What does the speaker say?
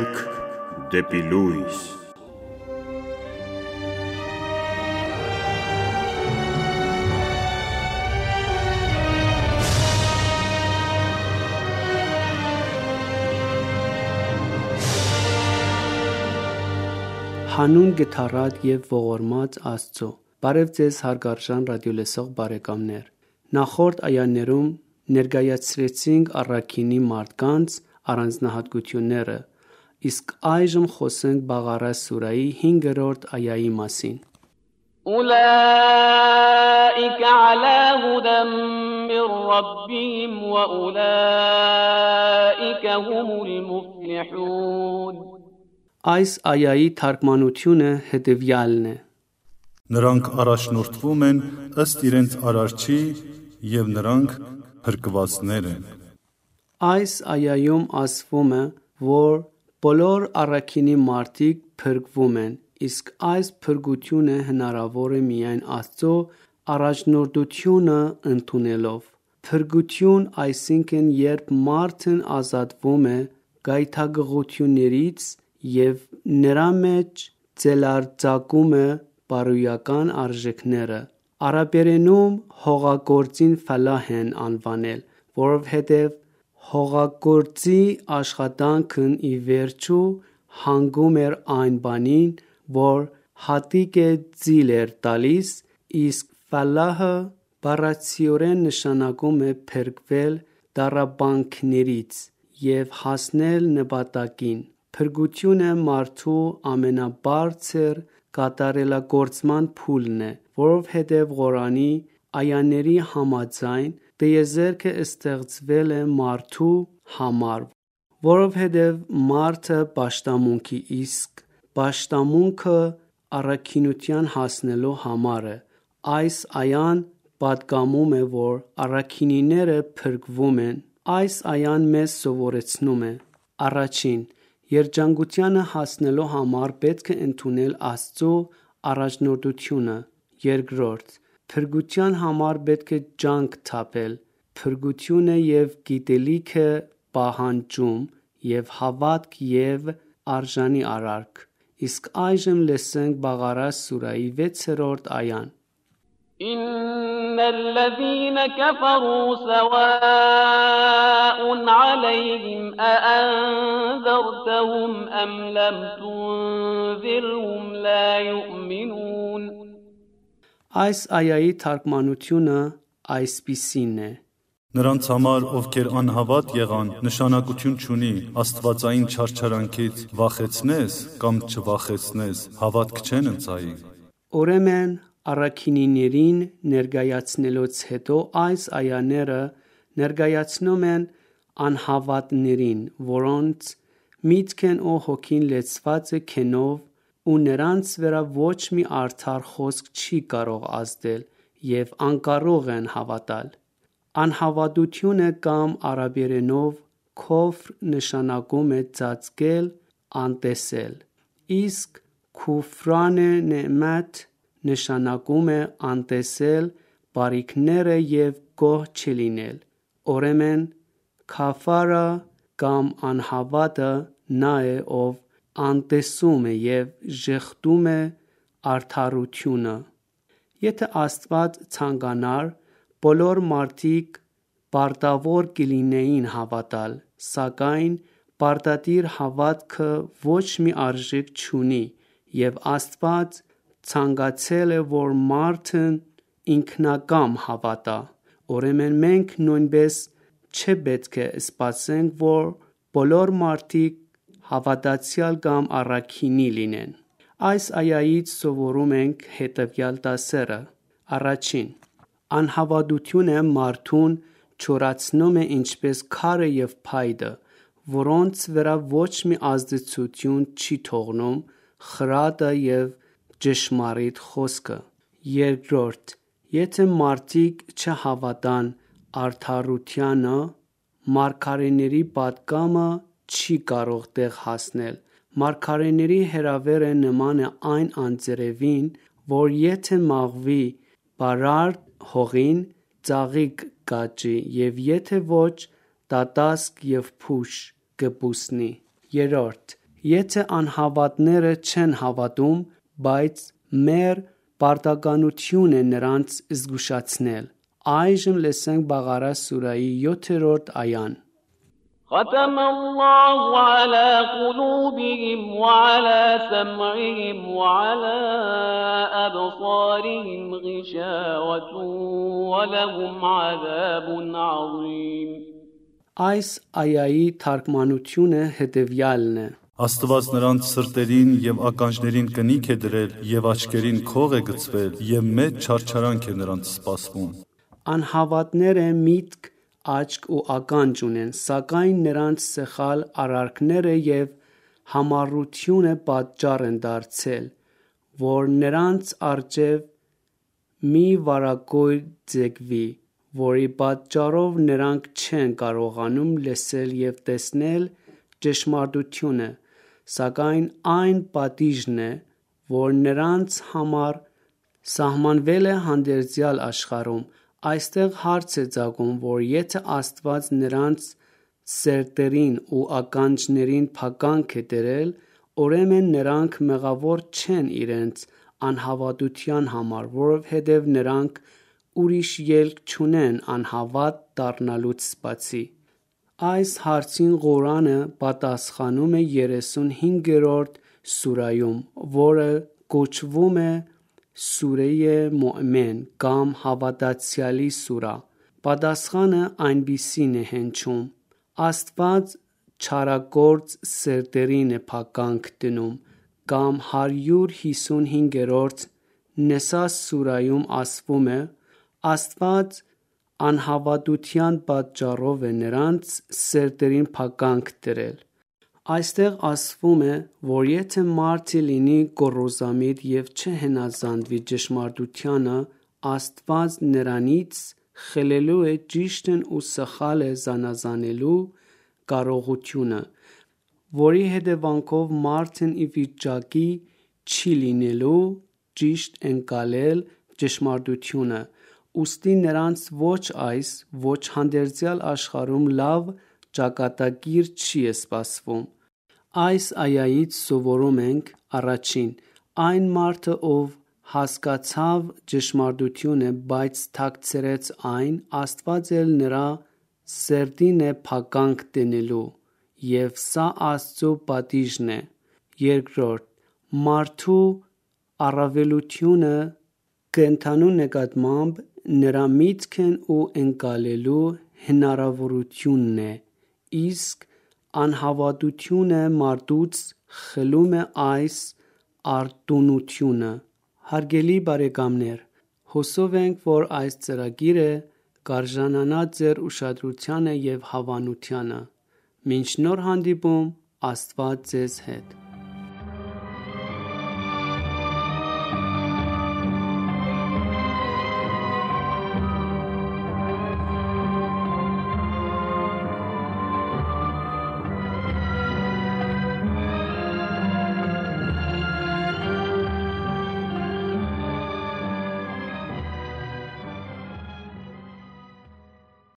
Շարք դեպի լույս։ Հանուն գթառատ եւ ողորմած Աստծո։ Բարև ձեզ հարգարժան ռադիոլսող բարեկամներ։ Նախորդ այաներում ներկայացրեցինք առաքինի մարդկանց առանձնահատկությունները, իսկ այժմ խոսենք Բաղարա սուրայի 5-րդ այայի մասին։ أولئك على هدى من ربهم وأولئك هم المفلحون Այս այայի թարգմանությունը հետևյալն է. Նրանք առաջնորդվում են ըստ իրենց արարչի և նրանք փրկվածներ են։ Այս այայում ասվում է, որ բոլոր առաքինի մարդիկ փրկվում են, իսկ այս փրկությունը հնարավոր է միայն Աստծո առաջնորդությունը ընդունելով։ Փրկություն, այսինքն երբ մարդն ազատվում է գայթակղություններից և նրա մեջ ձելարձակում է բարոյական արժեքները։ Արաբերենում հողագործին ֆալահ են անվանել, որովհետև հողագործի աշխատանքն ի վերջո հանգում էր այն բանին, որ հատիկ ձիլ էր տալիս, իսկ ֆալահը բառացիորեն նշանակում է փրկվել տառապանքներից և հասնել նպատակին։ Փրկությունը մարդու ամենաբարձր կատարելագործման փուլն է, որովհետև Ղուրանի այաների համաձայն տիեզերքը ստեղծվել է մարդու համար, որովհետև մարդը պաշտամունք է, իսկ պաշտամունքը առաքինության հասնելու համար է։ Այս այան պատգամում է, որ առաքինիները փրկվում են։ Այս այան մեզ սովորեցնում է. Առաջին, երջանկությանը հասնելու համար պետք է ընդունել Աստծո առաջնորդությունը։ Երկրորդ, փրկության համար պետք է ջանք թափել։ Փրկությունը և գիտելիքը պահանջում և հավատք և արժանի արարք։ Իսկ այժմ լսենք Բաղարա սուրայի 6-րդ այան. إن الذين كفروا سواء عليهم أأنذرتهم أم لم تنذرهم لا يؤمنون Այս այայի թարգմանությունը այսպիսին է. Նրանց համար, ովքեր անհավատ եղան, նշանակություն չունի աստվածային չարչարանքից վախեցնես կամ չվախեցնես, հավատք չեն ընծայի։ Ուրեմն առաքինիներին ներկայացնելուց հետո այս այաները ներկայացնում են անհավատներին, որոնց միտքն ու հոգին լեցված է քենով ու նրանց վրա ոչ մի արդար խոսք չի կարող ազդել և անկարող են հավատալ։ Անհավատությունը կամ արաբերենով քոֆր նշանակում է ծածկել, անտեսել, իսկ քուֆրան նեըմաթ նշանակում է անտեսել բարիքները և գոհ չլինել։ Ուրեմն քաֆարը կամ անհավատը նա է, ով անտեսում է և ժխտում է արդարությունը։ Եթե Աստված ցանկանար, բոլոր մարդիկ պարտավոր կլինեին հավատալ, սակայն պարտադիր հավատքը ոչ մի արժեք չունի, և Աստված ցանկացել է, որ մարդն ինքնակամ հավատա։ Ուրեմն մենք նույնպես չպետք է սպասենք, որ բոլոր մարդիկ հավատացյալ կամ առաքինի լինեն։ Այս այայից սովորում ենք հետևյալ դասերը. Առաջին, անհավատությունը մարդուն չորացնում է ինչպես քարը և փայտը, որոնց վրա ոչ մի ազդեցություն չի թողնում խրատը և ճշմարիտ խոսքը։ Երկրորդ, եթե մարդիկ չհավատան արդարությանը, մարգարեների պատգամը չի կարող տեղ հասնել։ Մարգարեների հրավերը նման է այն անձրևին, որ եթե մաղվի բարարդ հողին, ծաղիկ կաճի, և եթե ոչ, դատասկ և փուշ կբուսնի։ Երրորդ, Եթե անհավատները չեն հավատում, բայց մեր պարտականություն է նրանց զգուշացնել։ Այժմ լսենք Բաղարա սուրայի 7-րդ այան։ ختم الله على قلوبهم وعلى سمعهم وعلى أبصارهم غشاوة ولهم عذاب عظيم Այս այայի թարգմանությունը հետևյալն է. Աստված նրանց սրտերին եւ ականջներին կնիք է դրել եւ աչքերին քող է գցվել եւ մեծ չարչարանք է նրանց սպասվում։ Անհավատները միտք, աչք ու ականջ ունեն, սակայն նրանց սխալ արարքները եւ համառությունը պատճառ են դարձել, որ նրանց առջև մի վարագույր ձգվի, որի պատճառով նրանք չեն կարողանում լսել եւ տեսնել ճշմարտությունը, սակայն այն պատիժն է, որ նրանց համար սահմանվել է հանդերձյալ աշխարհում։ Այստեղ հարց է ծագում, որ եթե Աստված նրանց սրտերին ու ականջներին փականք է դրել, ուրեմն նրանք մեղավոր չեն իրենց անհավատության համար, որովհետև նրանք ուրիշ ելք չունեն անհավատ դառնալուց բացի։ Այս հարցին Ղուրանը պատասխանում է 35-րդ սուրայում, որը կոչվում է Սուրեյ Մոմեն կամ հավատացյալի սուրա։ Պատասխանը այնպիսին է հնչում. Աստված չարագործ սրտերին է փականք դնում, կամ 155-րդ Նեսա սուրայում ասվում է. Աստված անհավատության պատճառով է նրանց սրտերին փականք դրել։ Այստեղ ասվում է, որ եթե մարդը լինի գոռոզամիտ եւ չհնազանդվի ճշմարտությանը, Աստված նրանից խլելու է ճիշտն ու սխալը զանազանելու կարողությունը, որի հետևանքով մարդն ի վիճակի չի լինելու ճիշտ ընկալել ճշմարտությունը, ուստի նրանց ոչ այս, ոչ հանդերձյալ աշխարհում լավ ճակատագիր չի սպասվում։ Այս այայից սովորում ենք. Առաջին, այն մարդը, ով հասկացավ ճշմարտությունը, բայց թաքցրեց այն, Աստված էլ նրա սրտին է փականք դնելու, և սա Աստծո պատիժն է։ Երկրորդ, մարդու առավելությունը կենդանու նկատմամբ նրա միտքն ու ընկալելու հնարավորությունն է, իսկ անհավատությունը մարդուց խլում է այս արտոնությունը։ Հարգելի բարեկամներ, հուսով ենք, որ այս ծրագիրը կարժանանա ձեր ուշադրությանը և հավանությանը։ Մինչ նոր հանդիպում, Աստված ձեզ հետ։